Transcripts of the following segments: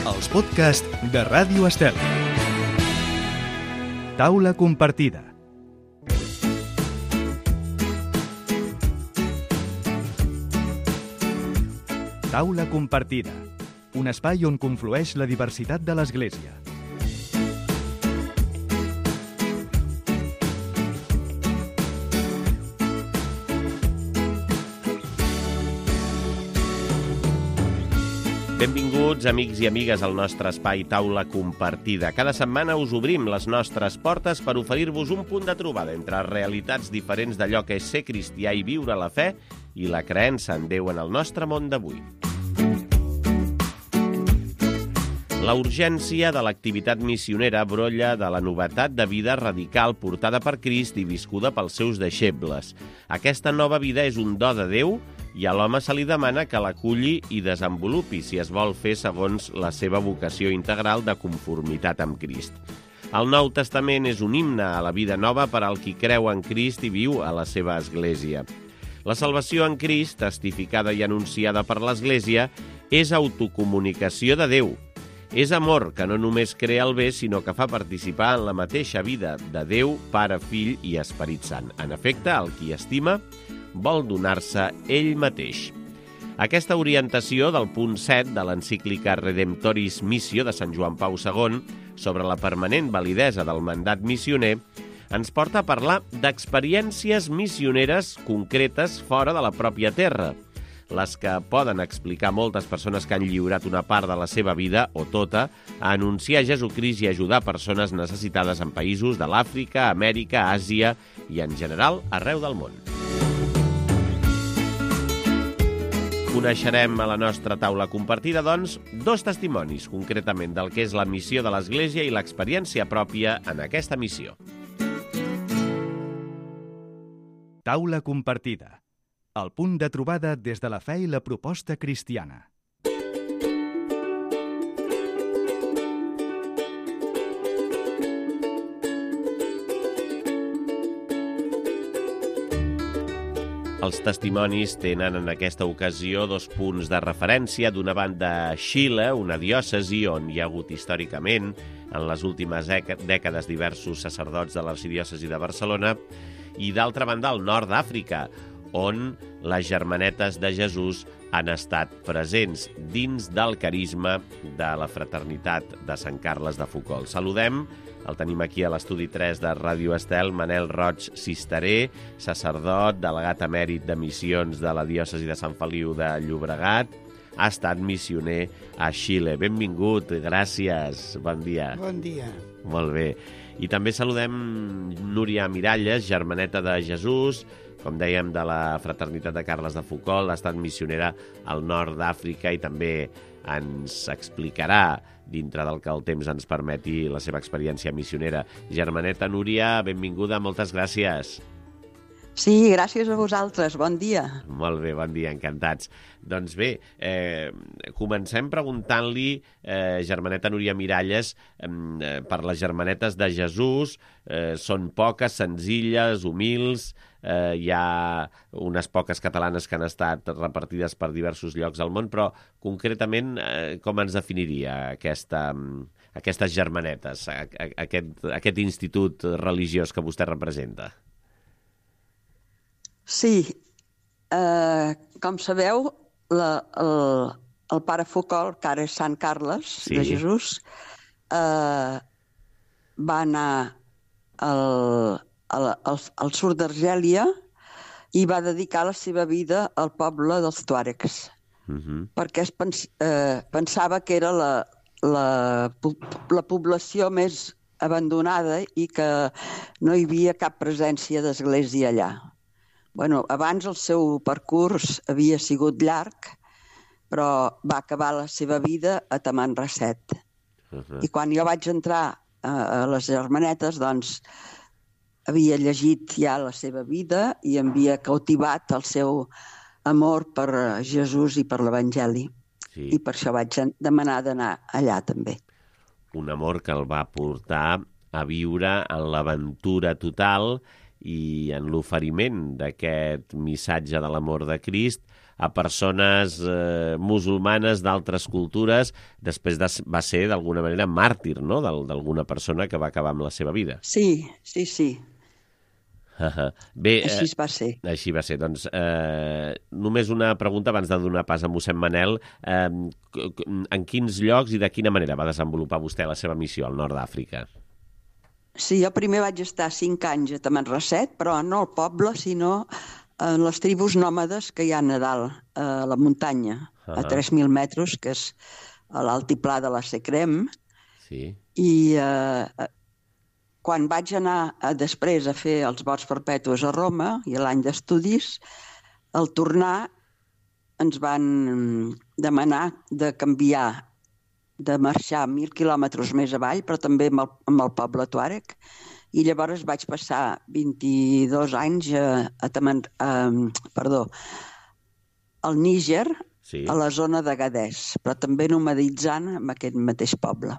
Els podcasts de Ràdio Estel. Taula compartida. Taula compartida. Un espai on conflueix la diversitat de l'Església. Benvinguts, amics i amigues, al nostre espai Taula Compartida. Cada setmana us obrim les nostres portes per oferir-vos un punt de trobada entre realitats diferents d'allò que és ser cristià i viure la fe i la creença en Déu en el nostre món d'avui. La urgència de l'activitat missionera brolla de la novetat de vida radical portada per Crist i viscuda pels seus deixebles. Aquesta nova vida és un do de Déu i a l'home se li demana que l'aculli i desenvolupi si es vol fer segons la seva vocació integral de conformitat amb Crist. El Nou Testament és un himne a la vida nova per al qui creu en Crist i viu a la seva Església. La salvació en Crist, testificada i anunciada per l'Església, és autocomunicació de Déu. És amor que no només crea el bé, sinó que fa participar en la mateixa vida de Déu, Pare, Fill i Esperit Sant. En efecte, el qui estima vol donar-se ell mateix. Aquesta orientació del punt 7 de l'encíclica Redemptoris Missio de Sant Joan Pau II sobre la permanent validesa del mandat missioner ens porta a parlar d'experiències missioneres concretes fora de la pròpia terra, les que poden explicar moltes persones que han lliurat una part de la seva vida, o tota, a anunciar Jesucrist i ajudar persones necessitades en països de l'Àfrica, Amèrica, Àsia i, en general, arreu del món. Coneixerem a la nostra taula compartida, doncs, dos testimonis, concretament del que és la missió de l'Església i l'experiència pròpia en aquesta missió. Taula compartida. El punt de trobada des de la fe i la proposta cristiana. Els testimonis tenen en aquesta ocasió dos punts de referència. D'una banda, Xile, una diòcesi on hi ha hagut històricament, en les últimes dècades, diversos sacerdots de l'arxidiòcesi de Barcelona, i d'altra banda, el nord d'Àfrica, on les Germanetes de Jesús han estat presents dins del carisma de la fraternitat de Sant Carles de Foucault. Saludem, el tenim aquí a l'estudi 3 de Ràdio Estel, Manel Roig Cisteré, sacerdot, delegat emèrit de missions de la diòcesi de Sant Feliu de Llobregat. Ha estat missioner a Xile. Benvingut, gràcies, bon dia. Bon dia. Molt bé. I també saludem Núria Miralles, germaneta de Jesús, com dèiem, de la fraternitat de Carles de Foucault, ha estat missionera al nord d'Àfrica i també ens explicarà, dintre del que el temps ens permeti, la seva experiència missionera. Germaneta Núria, benvinguda, moltes gràcies. Sí, gràcies a vosaltres, bon dia. Molt bé, bon dia, encantats. Doncs bé, comencem preguntant-li, germaneta Núria Miralles, per les germanetes de Jesús, són poques, senzilles, humils, hi ha unes poques catalanes que han estat repartides per diversos llocs del món, però concretament com ens definiria aquestes germanetes, aquest institut religiós que vostè representa? Sí, com sabeu, el pare Foucault, que ara és Sant Carles de Jesús, va anar al sud d'Argèlia i va dedicar la seva vida al poble dels tuàregs, perquè pensava que era la població més abandonada i que no hi havia cap presència d'església allà. Bueno, abans el seu percurs havia sigut llarg, però va acabar la seva vida a Tamanrasset. I quan jo vaig entrar a les Germanetes, doncs, havia llegit ja la seva vida i havia cautivat el seu amor per Jesús i per l'Evangeli. Sí. I per això vaig demanar d'anar allà també. Un amor que el va portar a viure en l'aventura total i en l'oferiment d'aquest missatge de l'amor de Crist a persones musulmanes d'altres cultures, després va ser d'alguna manera màrtir, no?, d'alguna persona que va acabar amb la seva vida. Sí. Bé, Així va ser. Així va ser. Doncs només una pregunta abans de donar pas a mossèn Manel. En quins llocs i de quina manera va desenvolupar vostè la seva missió al nord d'Àfrica? Sí, jo primer vaig estar 5 anys a Tamanrasset, però no al poble, sinó en les tribus nòmades que hi ha a dalt, a la muntanya, a 3.000 metres, que és a l'altiplà de la Secrem. Sí. I quan vaig anar després a fer els vots perpetus a Roma, i l'any d'estudis, al tornar ens van demanar de canviar, de marxar 1.000 quilòmetres més avall, però també amb el poble tuàreg, i llavors vaig passar 22 anys al Níger, Sí. a la zona d'Agadez, però també nomaditzant en aquest mateix poble.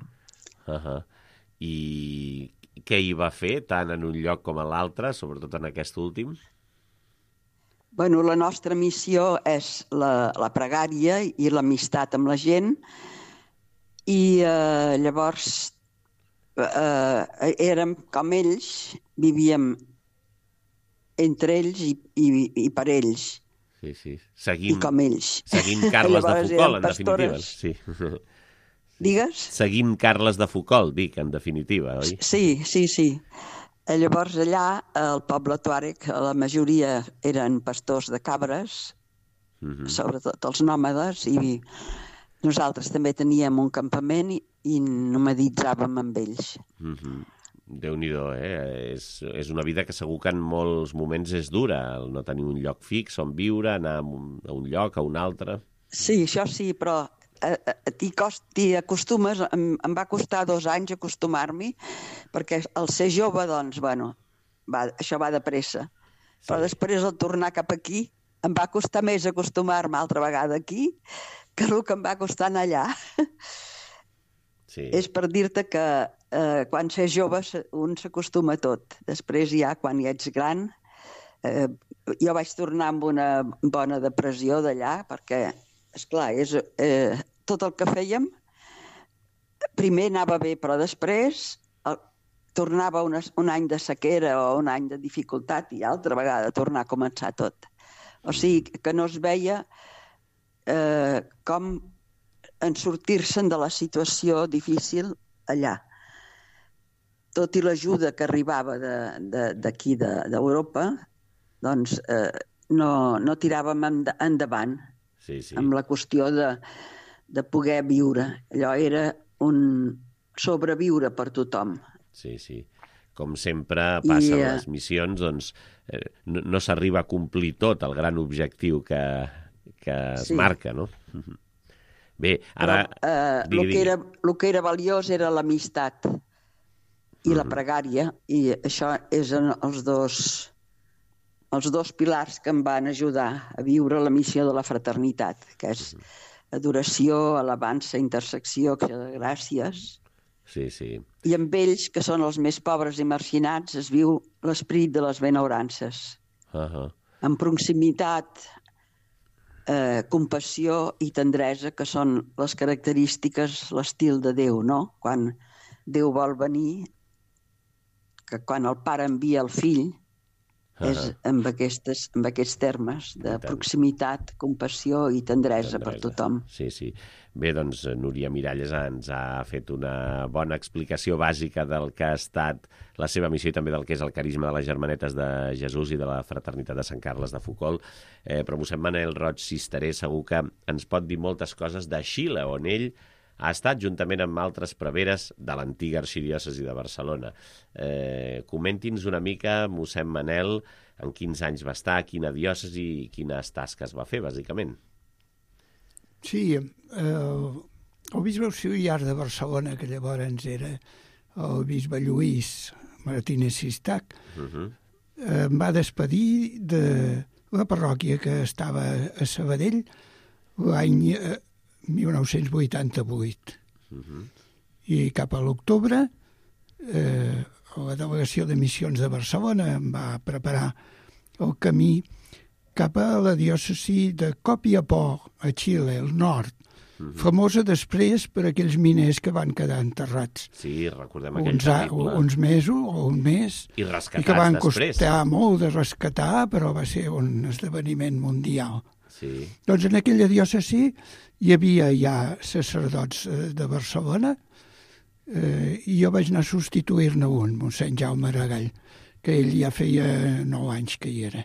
I què hi va fer, tant en un lloc com a l'altre, sobretot en aquest últim? Bueno, la nostra missió és la pregària i l'amistat amb la gent, i llavors érem com ells, vivíem entre ells i per ells. Sí. I com ells. Seguint Carles de Foucault, en definitiva. Sí. Digues? Seguint Carles de Foucault, dic, en definitiva, oi? Sí. Llavors allà, al poble tuàreg, la majoria eren pastors de cabres, sobretot els nòmades, i nosaltres també teníem un campament i nomaditzàvem amb ells. Déu-n'hi-do, És una vida que segur que en molts moments és dura, el no tenir un lloc fix on viure, anar a un lloc, a un altre. Sí, això sí, però t'hi acostumes. Em va costar 2 anys acostumar-m'hi, perquè al ser jove, doncs, bueno, això va de pressa. Però després, al tornar cap aquí, em va costar més acostumar-me altra vegada aquí que el que em va costar anar allà. Sí. És per dir-te que quan s'és jove un s'acostuma a tot. Després ja, quan ja ets gran, jo vaig tornar amb una bona depressió d'allà, perquè, esclar, tot el que fèiem, primer anava bé, però després tornava un any de sequera o un any de dificultat i altra vegada tornar a començar tot. O sigui, que no es veia com en sortir-se'n de la situació difícil allà. Tot i l'ajuda que arribava d'aquí, d'Europa, doncs no tiràvem endavant amb la qüestió de poder viure. Allò era un sobreviure per tothom. Sí. Com sempre passa a les missions, doncs no s'arriba a complir tot el gran objectiu que es marca, no? Bé, ara... El que era valiós era l'amistat i la pregària, i això són els dos pilars que em van ajudar a viure la missió de la fraternitat, que és adoració, alabança, intersecció, acció de gràcies. Sí. I amb ells, que són els més pobres i marginats, es viu l'esperit de les benaurances. Amb proximitat, compassió i tendresa, que són les característiques, l'estil de Déu, no? Quan Déu vol venir, que quan el pare envia el fill, és amb aquests termes de proximitat, compassió i tendresa per tothom. Sí. Bé, doncs Núria Miralles ens ha fet una bona explicació bàsica del que ha estat la seva missió i també del que és el carisma de les Germanetes de Jesús i de la fraternitat de Sant Carles de Foucault. Però mossèn Manel Roig Cisteré segur que ens pot dir moltes coses de Xile, on ell ha estat juntament amb altres preveres de l'antiga arxidiòcesi de Barcelona. Comenti'ns una mica, mossèn Manel, en quins anys va estar, quina diòcesi i quines tasques va fer, bàsicament. Sí, el bisbe auxiliar de Barcelona, que llavors era el bisbe Lluís Martínez Sistac, em va despedir de la parròquia que estava a Sabadell l'any 1988. I cap a l'octubre la delegació de missions de Barcelona em va preparar el camí cap a la diòcesi de Copiapó, a Xile, al nord, famosa després per aquells miners que van quedar enterrats. Sí, recordem aquell terrible. Uns mesos o un mes. I rescatats i que van després. costar molt de rescatar, però va ser un esdeveniment mundial. Sí. Doncs en aquella diòcesi hi havia ja sacerdots de Barcelona i jo vaig anar a substituir-ne un, mossèn Jaume Aragall, que ell ja feia 9 anys que hi era.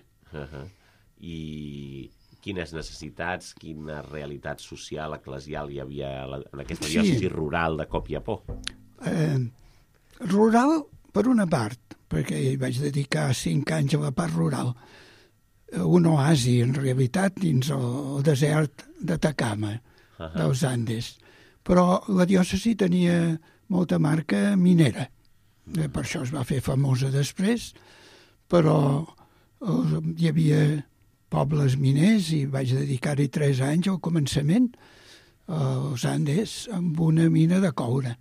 I quines necessitats, quina realitat social, eclesial hi havia en aquesta diòcesi rural de Copiapó? Rural, per una part, perquè hi vaig dedicar 5 anys a la part rural. Un oasi, en realitat, dins el desert d'Atacama, dels Andes. Però la diòcesi tenia molta marca minera. Per això es va fer famosa després, però hi havia pobles miners i vaig dedicar-hi 3 anys al començament als Andes amb una mina de coure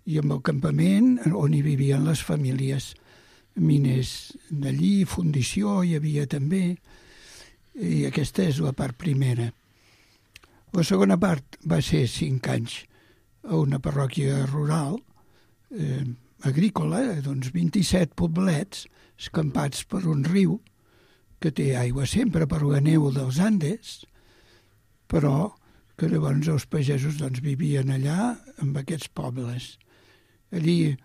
i amb el campament on hi vivien les famílies miners d'allí, fundició hi havia també, i aquesta és la part primera. La segona part va ser 5 anys a una parròquia rural agrícola, doncs 27 poblets escampats per un riu que té aigua sempre per la neu dels Andes, però que llavors els pagesos doncs, vivien allà amb aquests pobles. Allí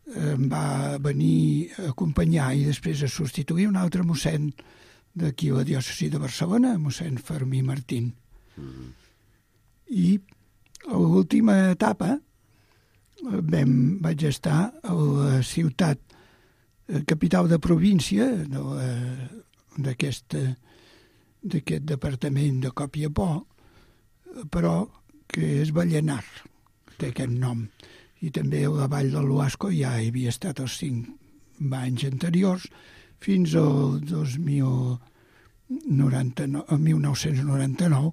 em va venir a acompanyar i després a substituir un altre mossèn d'aquí a la diòcesi de Barcelona, mossèn Fermí Martín. I a l'última etapa vaig estar a la ciutat capital de província d'aquest departament de Copiapó, però que és Vallenar, té aquest nom. I també a la vall de l'Huasco ja hi havia estat els 5 anys anteriors, fins al 1999,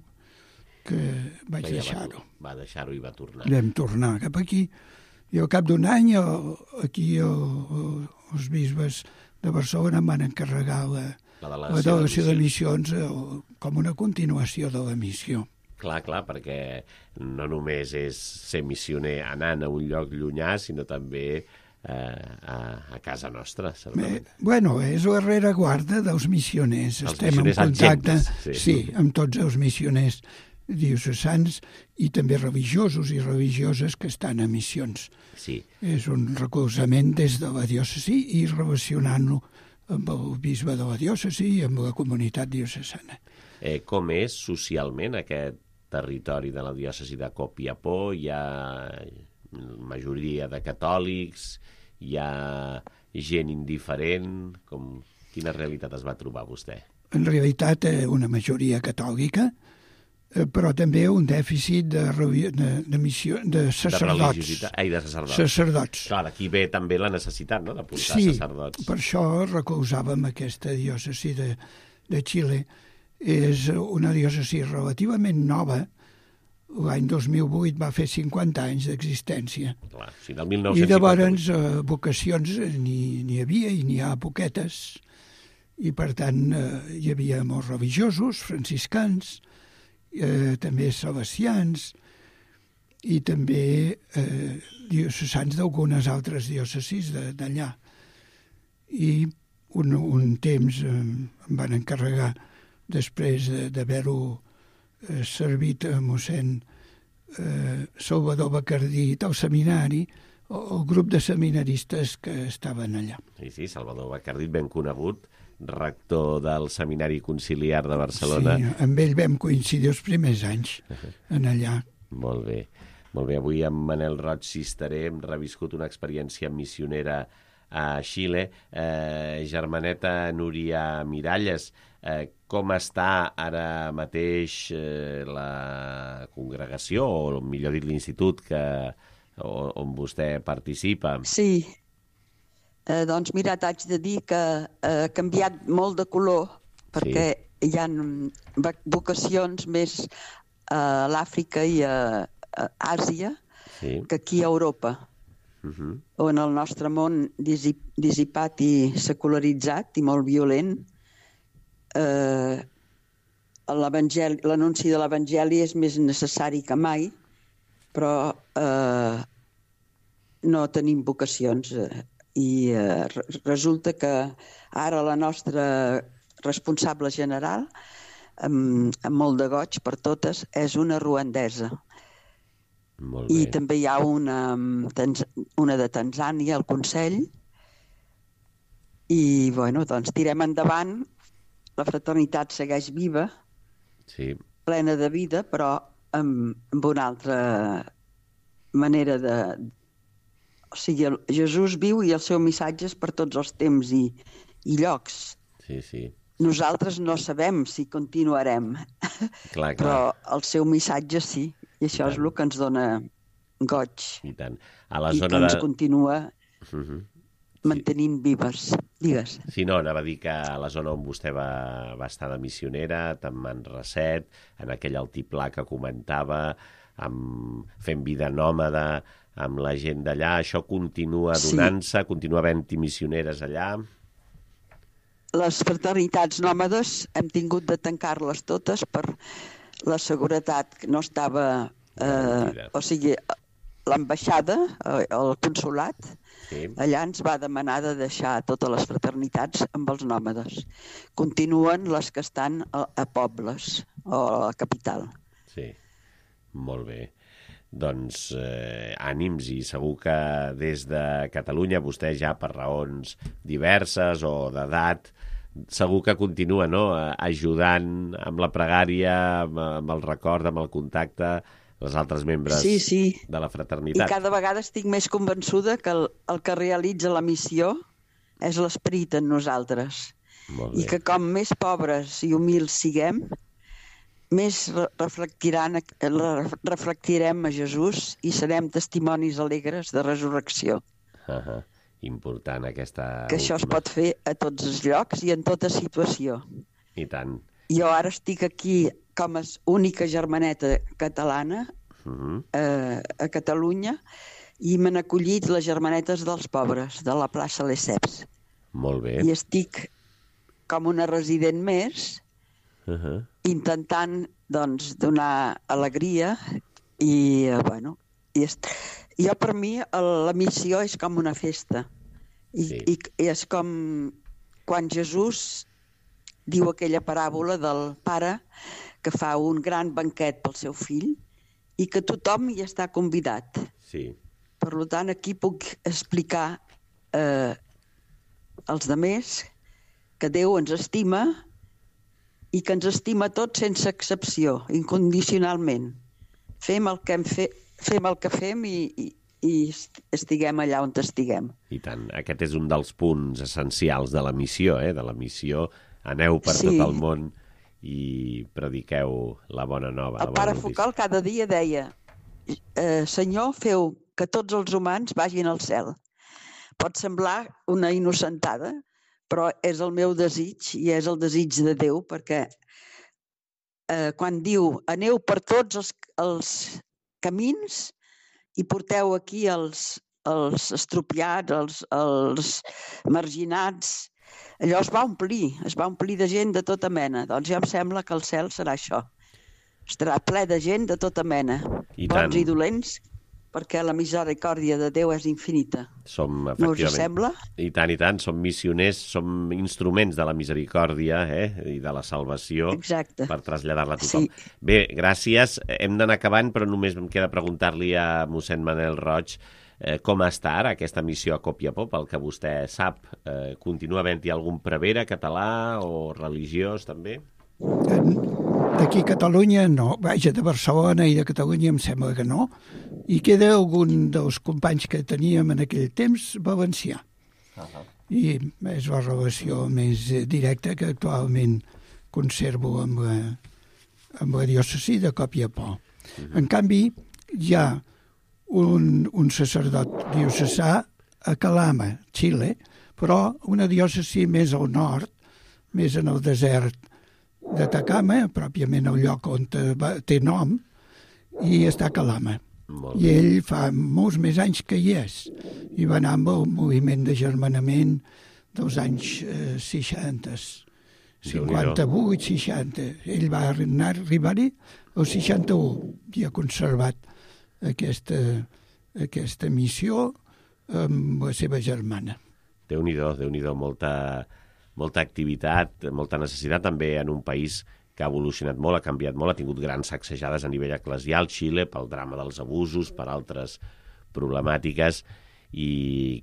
que vaig deixar-ho. Va deixar-ho i va tornar. Vam tornar cap aquí. I al cap d'un any, aquí els bisbes de Barcelona em van encarregar la delegació de missions com una continuació de la missió. Clar, perquè no només és ser missioner anant a un lloc llunyà, sinó també a casa nostra, certament. Bueno, és la rereguarda dels missioners. Estem en contacte amb tots els missioners diocesans i també religiosos i religioses que estan a missions. Sí. És un recolzament des de la diòcesi i relacionant-lo amb el bisbe de la diòcesi i amb la comunitat diocesana. Com és socialment aquest territori de la diòcesi de Copiapó? Hi ha majoria de catòlics? Hi ha gent indiferent? Quina realitat es va trobar vostè? En realitat, una majoria catòlica, però també un dèficit de sacerdots. De sacerdots. Sacerdots. Clar, aquí ve també la necessitat, no?, de portar sacerdots. Sí, per això recolzàvem aquesta diòcesi de Xile. És una diòcesi relativament nova. L'any 2008 va fer 50 anys d'existència. Clar, sí, del 1958. I llavors vocacions n'hi havia i n'hi ha poquetes. I per tant hi havia molts religiosos, franciscans, també salesians i també diocesans d'algunes altres diòcesis d'allà. I un temps em van encarregar, després d'haver-ho servit a mossèn Salvador Bacardí al seminari, el grup de seminaristes que estaven allà. Sí, Salvador Bacardí, ben conegut, rector del Seminari Conciliar de Barcelona. Sí, amb ell vam coincidir els primers anys en allà. Molt bé. Avui amb Manel Roig Cisteré hem reviscut una experiència missionera a Xile. Germaneta Núria Miralles, com està ara mateix la congregació, o millor dit l'institut on vostè participa? Sí. Doncs mira, t'haig de dir que ha canviat molt de color perquè hi ha vocacions més a l'Àfrica i a Àsia que aquí a Europa, on el nostre món dissipat i secularitzat i molt violent l'anunci de l'Evangeli és més necessari que mai, però no tenim vocacions. I resulta que ara la nostra responsable general, amb molt de goig per totes, és una ruandesa. Molt bé. I també hi ha una de Tanzània al Consell. I, bueno, doncs tirem endavant. La fraternitat segueix viva, Sí. plena de vida, però amb una altra manera de... O sigui, Jesús viu i el seu missatge és per tots els temps i llocs. Sí, sí. Nosaltres no sabem si continuarem, Clar, clar. però el seu missatge sí, i això és el que ens dona goig I tant. A la i que zona ens de... continua Mhm. mantenint vives. Digues. Sí, no, anava a dir que a la zona on vostè va estar de missionera, tant Manrasset, en aquell altiplà que comentava, fent vida nòmada, amb la gent d'allà, això continua donant-se, continua havent-hi missioneres allà? Les fraternitats nòmades hem tingut de tancar-les totes per la seguretat que no estava... o sigui, l'ambaixada, el consolat, Sí. allà ens va demanar de deixar totes les fraternitats amb els nòmades. Continuen les que estan a pobles o a la capital. Sí, molt bé. Doncs ànims, i segur que des de Catalunya vostè ja per raons diverses o d'edat segur que continua, no?, ajudant amb la pregària, amb el record, amb el contacte, els altres membres de la fraternitat. I cada vegada estic més convençuda que el que realitza la missió és l'esperit en nosaltres. I que com més pobres i humils siguem, més reflectirem a Jesús i serem testimonis alegres de resurrecció. Important aquesta... Que això es pot fer a tots els llocs i en tota situació. I tant. Jo ara estic aquí com a única germaneta catalana a Catalunya i m'han acollit les germanetes dels pobres de la plaça Lesseps. Molt bé. I estic com una resident més intentant, doncs, donar alegria i, bueno, jo per mi la missió és com una festa. I és com quan Jesús diu aquella paràbola del pare que fa un gran banquet pel seu fill i que tothom hi està convidat. Sí. Per tant, aquí puc explicar als demés que Déu ens estima i que ens estima tots sense excepció, incondicionalment. Fem el que fem i estiguem allà on estiguem. I tant. Aquest és un dels punts essencials de la missió, de la missió. Aneu per tot el món i prediqueu la bona nova. El pare Focal cada dia deia: Senyor, feu que tots els humans vagin al cel. Pot semblar una innocentada, però és el meu desig i és el desig de Déu, perquè quan diu aneu per tots els camins i porteu aquí els estropiats, els marginats, allò es va omplir de gent de tota mena. Doncs ja em sembla que el cel serà això. Estarà ple de gent de tota mena, bons i dolents, perquè la misericòrdia de Déu és infinita. Som, no us sembla? I tant, som missioners, som instruments de la misericòrdia i de la salvació. Exacte. Per traslladar-la a tothom. Sí. Bé, gràcies. Hem d'anar acabant, però només em queda preguntar-li a mossèn Manel Roig com està ara aquesta missió a Copiapó, pel que vostè sap. Continua havent-hi algun prevere català o religiós, també? D'aquí a Catalunya no. Vaja, de Barcelona i de Catalunya em sembla que no. I queda algun dels companys que teníem en aquell temps valencià. I és la relació més directa que actualment conservo amb la diòcesi de Copiapó. En canvi, hi ha un sacerdot diocesà a Calama, Xile, però una diòcesi més al nord, més en el desert d'Atacama, pròpiament el lloc on té nom, i està a Calama. I ell fa molts més anys que hi és, i va anar amb el moviment de germanament dels anys 60, 58, 60. Ell va arribar-hi al 61 i ha conservat aquesta missió amb la seva germana. Déu-n'hi-do, molta activitat, molta necessitat també en un país que ha evolucionat molt, ha canviat molt, ha tingut grans sacsejades a nivell eclesial, Xile, pel drama dels abusos, per altres problemàtiques, i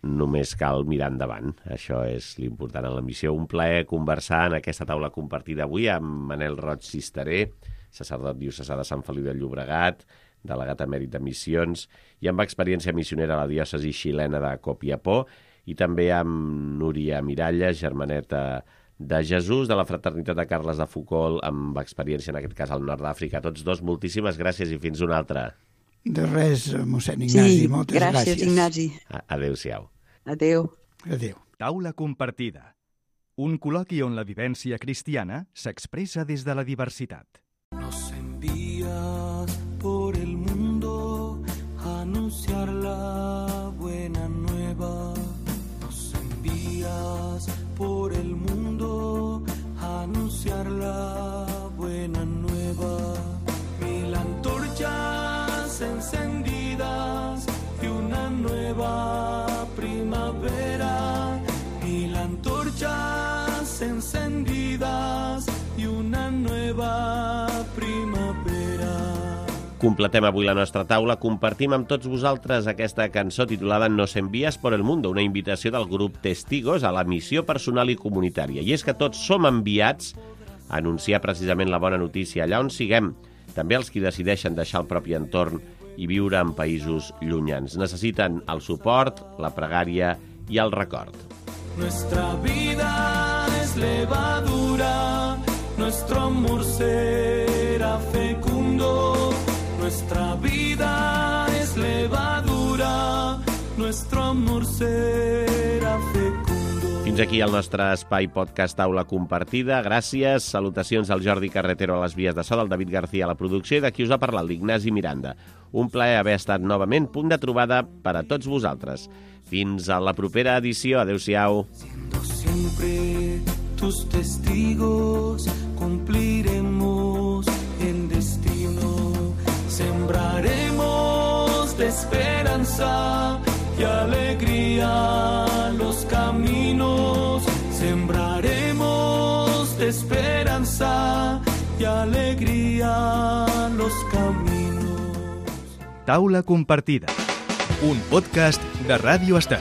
només cal mirar endavant. Això és l'important en la missió. Un plaer conversar en aquesta taula compartida avui amb Manel Roig Cisteré, sacerdot diocesà de Sant Feliu de Llobregat, delegat emèrit de missions, i amb experiència missionera a la diòcesi xilena de Copiapó, i també amb Núria Miralles, germaneta de Jesús, de la fraternitat de Carles de Foucault, amb experiència en aquest cas al nord d'Àfrica. Tots dos, moltíssimes gràcies i fins una altra. De res, mossèn Ignasi, moltes gràcies. Gràcies, Ignasi. Adéu-siau. Adéu. Adéu. Taula compartida. Un col·loqui on la vivència cristiana s'expressa des de la diversitat. Nos envías por el mundo a anunciar la buena nueva. Nos envías por el mundo a anunciar la buena nueva. 1000 antorchas encendidas y una nueva primavera. 1000 antorchas encendidas y una nueva primavera. Completem avui la nostra taula, compartim amb tots vosaltres aquesta cançó titulada Nos envías por el mundo, una invitació del grup Testigos a la missió personal i comunitària. I és que tots som enviats a anunciar precisament la bona notícia allà on siguem, també els qui decideixen deixar el propi entorn i viure en països llunyans. Necessiten el suport, la pregària i el record. Nuestra vida es levadura, nuestro amor será fecundo. Nuestra vida es levadura, nuestro amor será fecundo. Fins aquí el nostre espai podcast Taula Compartida. Gràcies, salutacions al Jordi Carretero a les vies de so, del David García a la producció i de qui us ha parlat, l'Ignasi Miranda. Un plaer haver estat novament punt de trobada per a tots vosaltres. Fins a la propera edició. Adéu-siau. Siendo siempre tus testigos, cumpliremos el destino. Sembraremos de esperanza y alegría los caminos. Sembraremos de esperanza y alegría los caminos. Taula compartida. Un podcast de Ràdio Estat.